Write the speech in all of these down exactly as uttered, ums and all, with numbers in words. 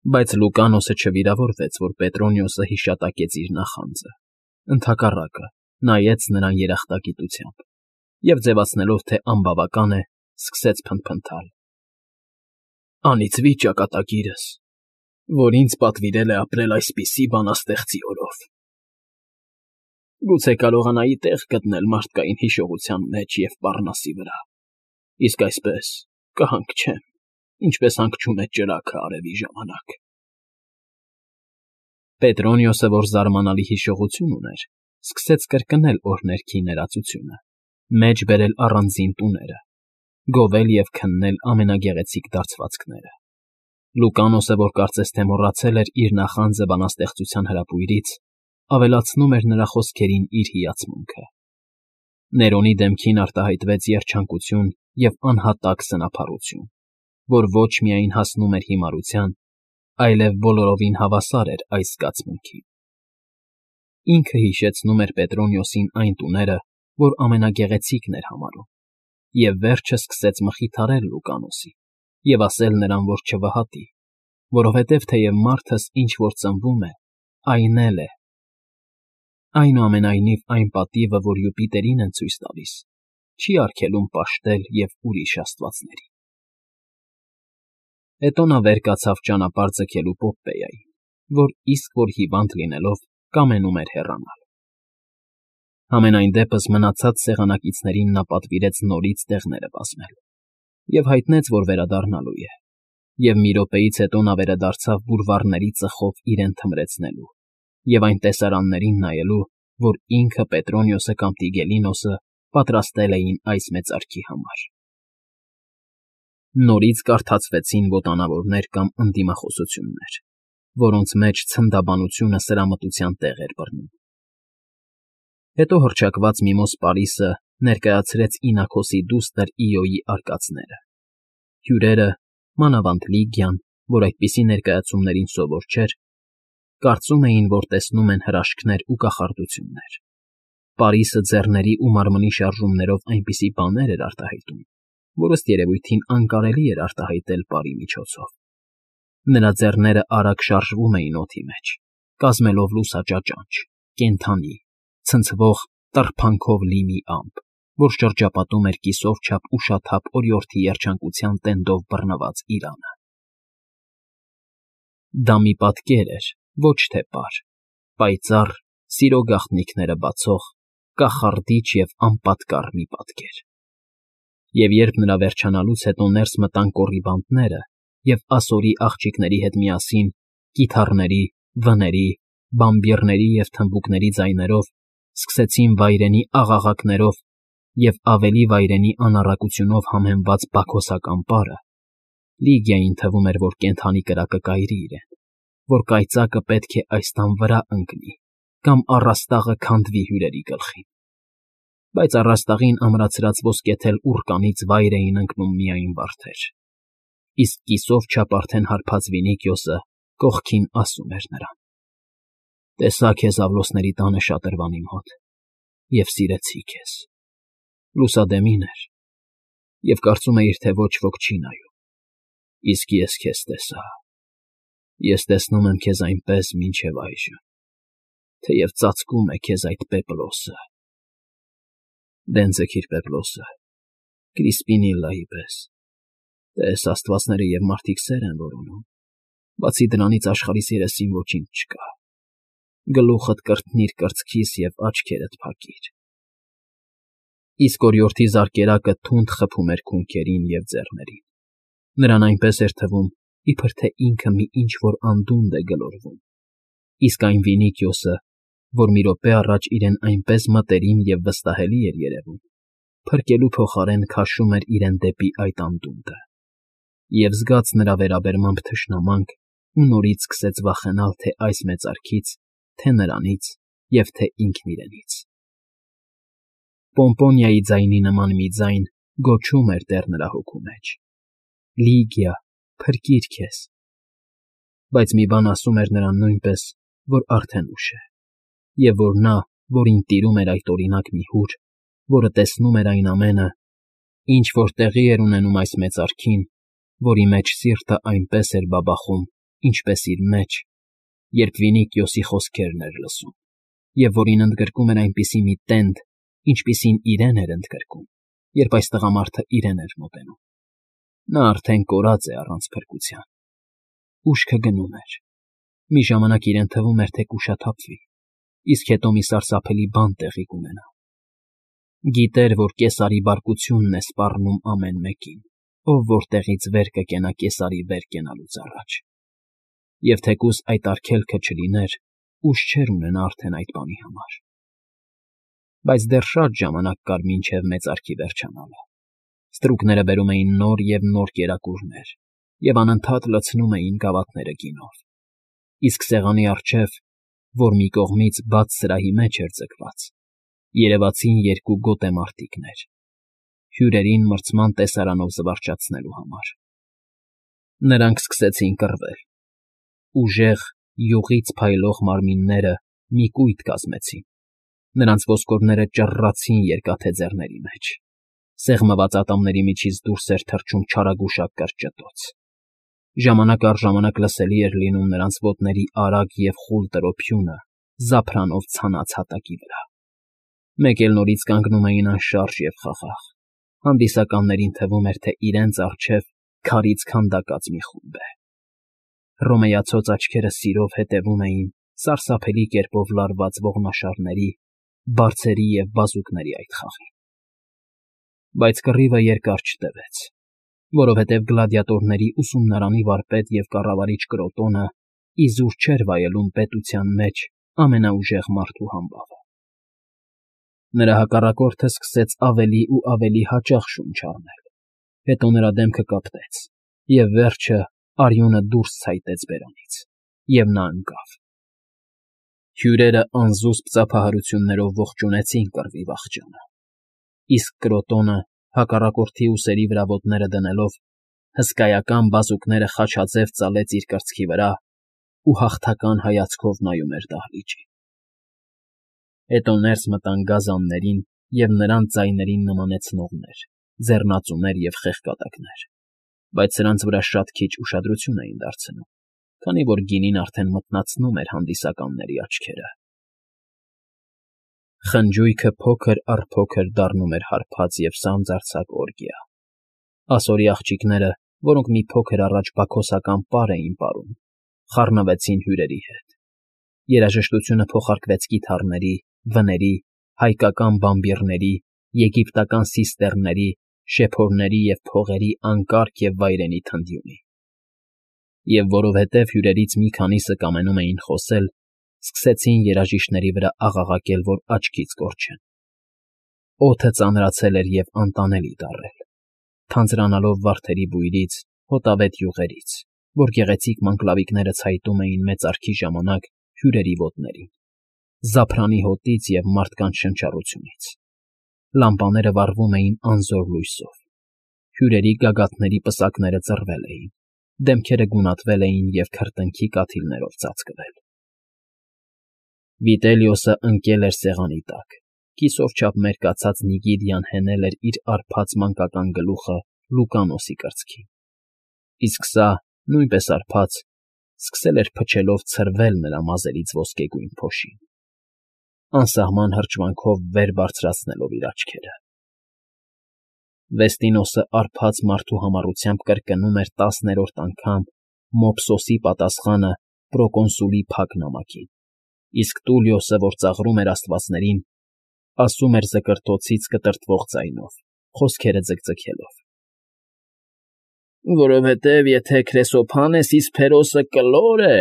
Բայց Լուկանոսը չվիրավորվեց, որ Պետրոնիոսը հիշատակեց իր նախանձը, ընդհակառակը, նայեց նրան երախտագիտությամբ և, ձևացնելով, թե անբավական է, սկսեց փնթփնթալ. «Անիծվի ճակատագիրս, որ ինձ պատվիրել է ապրել այսպիսի բանաստեղծի օրով… Գուցե կարողանայի տեղ գտնել մարդկային հիշողության մեջ և պառնասի վրա, իսկ այսպես կհանգչեմ, ինչպես հանգչում է ճրագը արևի ժամանակ»։ Պետրոնիոսը, որ զարմանալի հիշողություն ուներ, սկսեց կրկնել օրհներքի ներածությունը, մեջ բերել առանձին տուները, գովել և քննել ամենագեղեցիկ դարձվածքները։ Լուկանոսը, որ կարծես թե մոռացել էր իր նախանձը բանաստեղծության հրապույրից, ավելացնում էր նրա խոսքերին իր հիացմունքը։ Ներոնի դեմքին արտահայտվեց երջանկություն և անհատակ սնափառություն, որ ոչ միայն հասնում էր հիմարության, այլև բոլորովին հավասար էր այս զգացմունքին։ Ինքը հիշեցնում էր Պետրոնիոսին այն տուները, որ ամենագեղեցիկն էր համարում, և վերջը սկսեց մխիթարել Լուկանոսին և ասել նրան, որ չվհատի, որովհետև թեև մարդս ինչ֊որ ծնվում է, այն էլ է… Այնուամենայնիվ այն պատիվը, որ Յուպիտերին են ցույց տալիս, չի արգելում պաշտել և ուրիշ աստվածներին։ Հետո նա վեր կացավ ճանապարհ ձգելու Պոպպեյային, որ իսկ որ հիվանդ լինելով, կամենում էր հեռանալ։ Համենայն դեպս մնացած սեղանակիցներին նա պատվիրեց նորից տեղները բազմել և հայտնեց, որ վերադառնալու է, և մի րոպեից հետո նա վերադարձավ բուլվարների ծխով իրեն թմրեցնելու և այն տեսարաններին նայելու, որ ինքը, Պետրոնիոսը կամ Տիգելինոսը պատրաստել էին այս մեծարքի համար։ Նորից կարդացվեցին ոտանավորներ կամ ընդդիմախոսություններ, որոնց մեջ ցնդաբանությունը սրամտության տեղ էր բռնում։ Հետո հռչակված միմոզ Պարիսը ներկայացրեց ինակոսի դուստր Իոյի արկածները։ Հյուրերը, մանավանդ Լիգիան, որ այդպիսի ներկայացումներին սովոր չէր, կարծում էին, որ տեսնում են հրաշքներ ու կախարդություններ։ Պարիսը ձեռների ու մարմնի շարժումներով այնպիսի բաներ էր արտահայտում, որ ըստ երևույթին անկարելի էր արտահայտել պարի միջոցով։ Նրա ձեռները արագ շարժվում էին օդի մեջ, կազմելով լուսաճաճանճ, կենդանի, ցնցվող տռփանքով լի մի ամպ, որ շրջապատում էր կիսով չափ ուշաթափ օրիորդի երջանկության տենդով բռնված իրանը։ Դա մի պատկեր էր, ոչ թե պար, պայծառ, սիրո գաղտնիքները բացող, կախարդիչ և անպատկառ մի պատկեր։ Եվ երբ նրա վերջանալուց հետո ներս մտան կոռիբանդները և ասորի աղջիկների հետ միասին, կիթառների, վների, բամբիռների և թմբուկների ձայներով, սկսեցին վայրենի աղաղակներով և ավելի վայրենի անառակությունով համեմված բաքոսական պարը, Լիգիային թվում էր, որ կենդանի կրակը կայրի իրեն, որ կայծակը պետք է այս տան վրա ընկնի կամ առաստաղը քանդվի հյուրերի գլխին։ Բայց առաստաղին ամրացրած ոսկեթել ուռկանից վայր էին ընկնում միայն վարդեր, իսկ կիսով չափ արդեն հարբած Վինիքիոսը կողքին ասում էր նրան. «Տեսա քեզ Աղլոսների տանը շատրվանի մոտ և սիրեցի քեզ»։ Լուսադեմին էր և կարծում էիր, թե ոչ ոք չի նայում, իսկ ես քեզ տեսա… Ես տեսնում եմ քեզ այնպես մինչև այժմ, թեև ծածկում է քեզ այդ պեպլոսը… Դեն ձգիր պեպլոսը, Կրիսպինիլլայի պես, տես, աստվածները և մարդիկ սեր են որոնում, բացի դրանից աշխարհիս երեսին ոչինչ չկա… Գլուխդ կրտնիր կրծքիս և աչքերդ փակիր… Իսկ օրիորդի զարկերակը թունդ խփում էր քունքերին և ձեռներին, նրան այնպես էր թվում, իբր թե ինքը մի ինչ֊որ անդունդը է գլորվում, իսկ այն Վինիքիոսը, որ մի րոպե առաջ իրեն այնպես մտերիմ և վստահելի էր երևում, փրկելու փոխարեն քաշում էր իրեն դեպի այդ անդունդը, և զգաց նրա վերաբերմամբ թշնամանք ու նորից սկսեց վախենալ թե այս մեծարքից, թե նրանից և թե ինքն իրենից… Պոմպոնիայի ձայնի նման մի ձայն գոչում էր դեռ նրա հոգու մեջ. «Լիգիա, փրկիր քեզ»… Բայց մի բան ասում էր նրան նույնպես, որ արդեն ուշ է, և որ նա, որին տիրում էր այդ օրինակ մի հուր, որը տեսնում էր այն ամենը, ինչ որ տեղի էր ունենում այս մեծարքին, որի մեջ սիրտը այնպես էր բաբախում, ինչպես իր մեջ, երբ Վինիկիոսի խոսքերն էր լսում, և որին ընդգրկում էր այնպիսի մի տենդ, ինչպիսին իրեն էր ընդգրկում, երբ այս տղամարդը իրեն էր մոտենում. նա արդեն կորած է առանց փրկության, ուշքը գնում էր, մի ժամանակ իրեն թվում էր, թե կուշաթափվի, իսկ հետո մի սարսափելի բան տեղի կունենա. գիտեր, որ կեսարի բարկությունն է սպառնում ամեն մեկին, ով որտեղից վեր կկենա կեսարի վեր կենալուց առաջ, և թեկուզ այդ արգելքը չլիներ, ուժ չէր ունենա արդեն այդ բանի համար. բայց դեռ շատ ժամանակ կար մինչև մեծարգի վերջանալը. ստրուկները բերում էին նոր և նոր կերակուրներ և անընդհատ լցնում էին գավաթները գինով, իսկ սեղանի առջև, որ մի կողմից բաց սրահի մեջ էր ձգված, երևացին երկու գոտեմարտիկներ, հյուրերին մրցման տեսարանով զվարճացնելու համար. նրանք սկսեցին կռվել. ուժեղ, յուղից փայլող մարմինները մի կույտ կազմեցին, նրանց ոսկորները ճռռացին երկաթե ձեռների մեջ, սեղմված ատամների միջից դուրս էր թռչում չարագուշակ կրճտոց, ժամանակ առ ժամանակ լսելի էր լինում նրանց ոտների արագ և խուլ տրոփյունը զափրանով ցանած հատակի վրա. մեկ էլ նորից կանգնում էին անշարժ և խաղաղ, հանդիսականներին թվում էր, թե իրենց առջև քարից քանդակած մի խումբ է. հռոմեացած աչքերը սիրով հետևում էին սարսափելի կերպով լարված ողնաշարների, բարձերի և բազուկների այդ խաղին. բայց կռիվը երկար չտևեց, որովհետև գլադիատորների ուսումնարանի վարպետ և կառավարիչ Կրոտոնը իզուր չէր վայելում պետության մեջ ամենաուժեղ մարդու համբավը. նրա հակառակորդը սկսեց ավելի ու ավելի հաճախ շունչ առնել, հետո նրա դեմքը կապտեց, և վերջը արյունը դուրս ցայտեց բերանից, և նա ընկավ. հյուրերը անզուսպ ծափահարություններով ողջունեցին կռվի վախճանը, իսկ Կրոտոնը, հակառակորդի ուսերի վրա ոտները դնելով, հսկայական բազուկները խաչաձև ծալեց իր կրծքի վրա ու հաղթական հայացքով նայում էր դահլիճին. հետո ներս մտան գազաններին և նրանց ձայներին նմանեցնողներ, ձեռնածուներ և խեղկատակներ, բայց սրանց վրա շատ քիչ ուշադրություն էին դարձնում, քանի որ գինին արդեն մթնացնում էր հանդիսականների աչքերը. խնջույքը փոքր առ փոքր դառնում էր հարբած և սանձարձակ օրգիա. ասորի աղջիկները, որոնք մի փոքր առաջ բաքոսական պար էին պարում, խառնվեցին հյուրերի հետ, երաժշտությունը փոխարկվեց կիթառների, վների, հայկական բամբիռների, եգիպտական սիստեռների, շեփորների և փողերի անկարգ և վայրենի թնդյունի. և որովհետև հյուրերից մի քանիսը կամենում էին խոսել, սկսեցին երաժիշտների վրա աղաղակել, որ աչքից կորչեն. օդը ծանրացել էր և անտանելի դառել, թանձրանալով վարդերի բույրից, հոտավետ յուղերից, որ գեղեցիկ մանգլավիկները ցայտում էին մեծարգի ժամանակ հյուրերի ոտներին, զափրանի հոտից և մարդկանց շնչառությունից. լամպաները վառվում էին անզոր լույսով, հյուրերի գագաթների պսակները ծռվել էին, դեմքերը գունատվել էին և քրտինքի կաթիլներով ծածկվել. Վիտելիոսը ընկել էր սեղանի տակ, կիսով չափ մերկացած Նիգիդիան հենել էր իր արբած մանկական գլուխը Լուկանոսի կրծքին, իսկ սա, նույնպես արբած, սկսել էր փչելով ցրվել նրա մազերից ոսկեգույն փոշին, անսահման հրճվանքով վեր բարձրացնելով իր աչքերը. Վեստինոսը արբած մարդու համառությամբ կրկնում էր տասներորդ անգամ Մոփսոսի պատասխանը պրոկոնսուլի փակ նամակին, իսկ Տուլիոսը, որ ծաղրում էր աստվածներին, ասում էր զկրտոցից կտրտվող ձայնով, խոսքերը ձգձգելով. որովհետև եթե Քրեսոփանես Իսփերոսը կլոր է,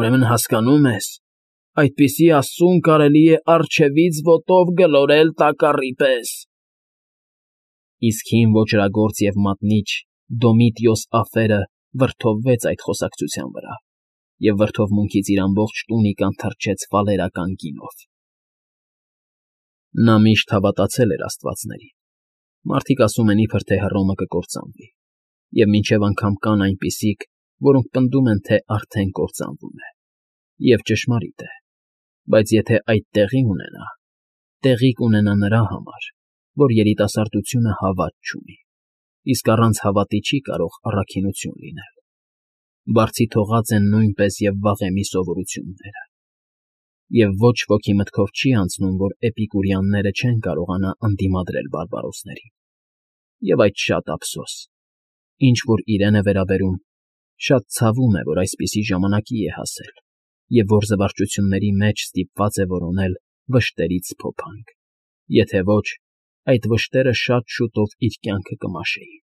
ուրեմն հասկանում ես, այդպիսի աստծուն կարելի է առջևից ոտով գլորել տակառի պես. իսկ հին ոճրագործ և մատնիչ Դոմիտիոս Աֆերը վրդովվեց այդ խոսակցության վրա և վրդովմունքից իր ամբողջ տունիկան թրջեց ֆալերական գինով. նա միշտ հավատացել էր աստվածներին, մարդիկ ասում են, իբր թե Հռոմը կկործանվի, և մինչև անգամ կան այնպիսիք, որոնք պնդում են, թե արդեն կործանվում է, և ճշմարիտ է, բայց եթե այդ տեղի ունենա, տեղի կունենա նրա համար, որ երիտասարդությունը հավատ չունի, իսկ առանց հավատի չի կարող առաքինություն լինել. Բարձի թողած են նույնպես և վաղեմի սովորությունները, և ոչ ոքի մտքով չի անցնում, որ էպիկուրեանները չեն կարողանա ընդդիմադրել բարբարոսներին, և այդ շատ ափսոս, ինչ որ իրեն է վերաբերում, շատ ցավում է, որ այսպիսի ժամանակի է հասել և որ զվարճությունների մեջ ստիպված է որոնել վշտերից փոփանք, եթե ոչ, այդ վշտերը շատ շուտով իր կյանքը կմաշեին։